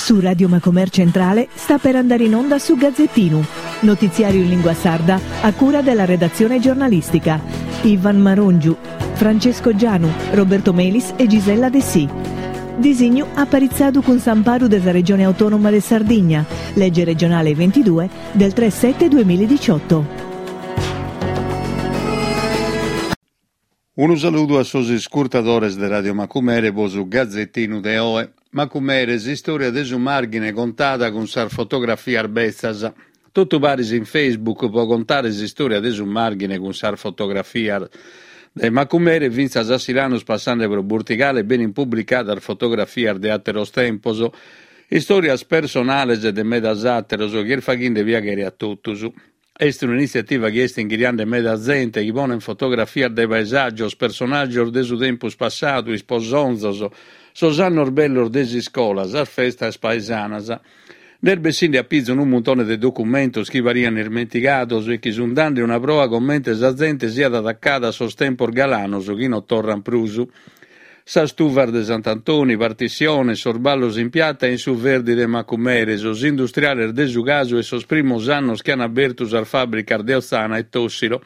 Su Radio Macomer Centrale sta per andare in onda su Gazzettinu, notiziario in lingua sarda a cura della redazione giornalistica. Ivan Marongiu, Francesco Gianu, Roberto Melis e Gisella Dessì. Disignu aparitzadu cun s'amparu de sa Regione Autonoma de Sardigna, lege regionale 22 del 3 7 2018. Unu saludu a sos iscurtadores de Radio Macumere po su Gazettinu de oe. Macumere, s'istòria de su Màrghine contada cun sas fotografias betzas. Totu paris in Facebook po contare s'istòria de su Màrghine cun sas fotografias. Dae Macumere fintzas a Silanus passande pro Burtigale benint publicadas fotografias de àteros tempos, istòrias personales de medas àteros chi est faghende piaghere a totus. Est un'initziativa chi est inghiriande meda zente chi ponet fotografias de paesàgios, personàgios de su tempus passadu, isposonzos, sos annos bellos de s'iscola, sas festas paesanas. Nd'est bessinde a pizu unu muntone de documentos chi parian ismentigados e chi sunt dande una proa comente sa zente siat atacada a sos tempos galanos chi non torrant prus. Sas tuvas de Sant'Antoni, partissiones, sos ballos in piata e in su Verdi de Macumere, sos industriales de su casu e sos primos annos chi an abertu sas fàbricas de Otzana e Tossilo,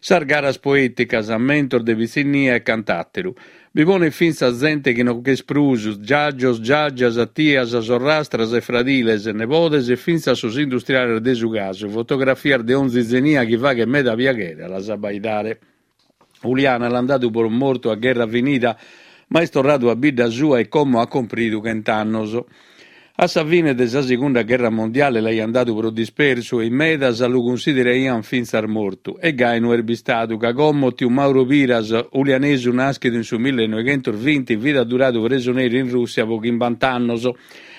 sas garas poèticas, ammentos de pitzinnia e cant'àteru. Bi ponet fintzas zente chi non ch'est prus, giàgios, giàgias, tias, sorrastras e fradiles, nebodes e fintzas sos industriales de su casu, fotografias de onzi zenia chi faghet meda piaghere a las abbaidare. Uliana l'ant dadu pro mortu a gherra finida, ma est torradu a bidda sua e como at cumpridu chent'annos. A sa fine de sa segunda gherra mondiale l'aiant dadu pro dispersu e in medas lu cunsideraiant fintzas mortu. E gai no est bistadu, ca como tiu Mauro Piras, ulianesu nàschidu in su millenoighentosvinti, fit adduradu presoneri in Rùssia pro chimbant'annos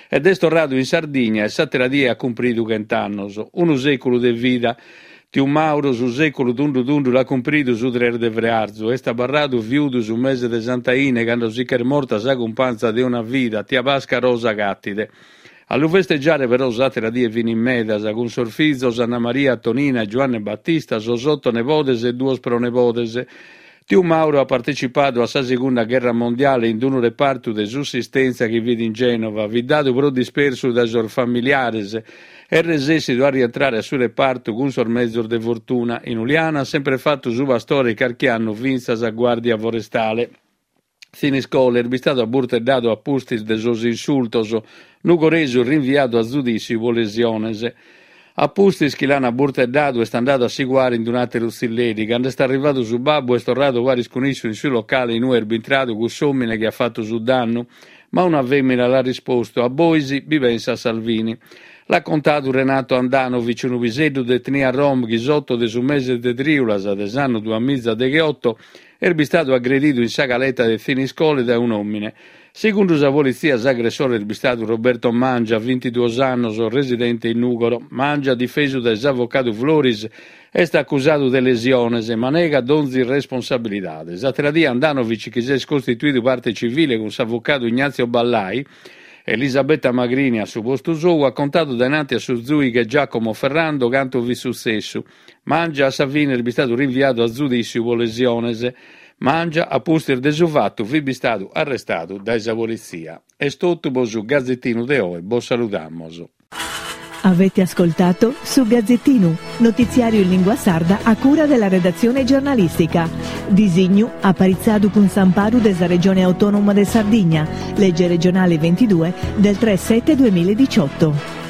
ed est torradu in Sardigna e s'àtera die at cumpridu chent'annos. Unu sèculu de vida. Tiu Mauro su sèculu tundu tundu l'at cumpridu su tres de frearzu. Est abarradu fiudu su mese de Sant'Aine cando si ch'est morta sa cumpanza de una vida, tia Pasca Rosa Cattide. A lu festeggiare però s'àtera die fin in medas, cun sos fizos Anna Maria, Tonina e Giuanne Battista, sos oto nebodes e duos pronebodes. Tiu Mauro at partecipadu a sa segunda gherra mondiale in unu repartu de sussistèntzia chi fit in Gènova, fit dadu pro dispersu dae sos familiares e resessidu a rientrare a su repartu cun sos mezos de fortuna. In Uliana at sempre fatu su pastore e carchi annu fintzas a guàrdia forestale. Thiniscole est bistadu aburteddadu a pustis de sos insultos, nugoresu rinviadu a zudìssiu pro lesiones. A pustis chi l'an aburteddadu est andadu a si cuare in un'àteru tzilleri. Cando est arrivadu su babbu est torradu paris cun issu in su locale in ue est bintradu cuss'òmine chi at fatu su dannu. Ma una fèmina l'at rispostu, A bois bi pensat Salvini. L'at contadu Renato Handanovic, unu piseddu de etnia rom chi s'oto de su mese de trìulas de s'annu duamizadeghioto Est bistadu agredidu in sa caleta de Thiniscole dae un'òmine. Segundu sa politzia s'agressore est bistadu Roberto Mangia, bintiduos annos, residente in Nùgoro. Mangia, difesu dae s'avocadu Floris, est acusadu de lesiones, ma negat donzi responsabilidade. S'àtera die Handanovic, chi s'est costituidu parte civile cun s'avocadu Ignazio Ballai, Elisabetta Magrini a su postu sou, at contadu dainanti a su zùighe Giacomo Ferrando cantu fit sutzessu. Mangia a sa fine est bistadu rinviadu a zudìssiu pro lesiones. Mangia, a pustis de su fatu, fit bistadu arrestadu dae sa politzia. Est totu pro su Gazetinu de oe, bos saludamos. Avete ascoltato Su Gazzettinu, notiziario in lingua sarda a cura della redazione giornalistica. Disignu aparitzadu cun s'amparu de sa Regione Autonoma de Sardigna, legge regionale 22 del 3 7 2018.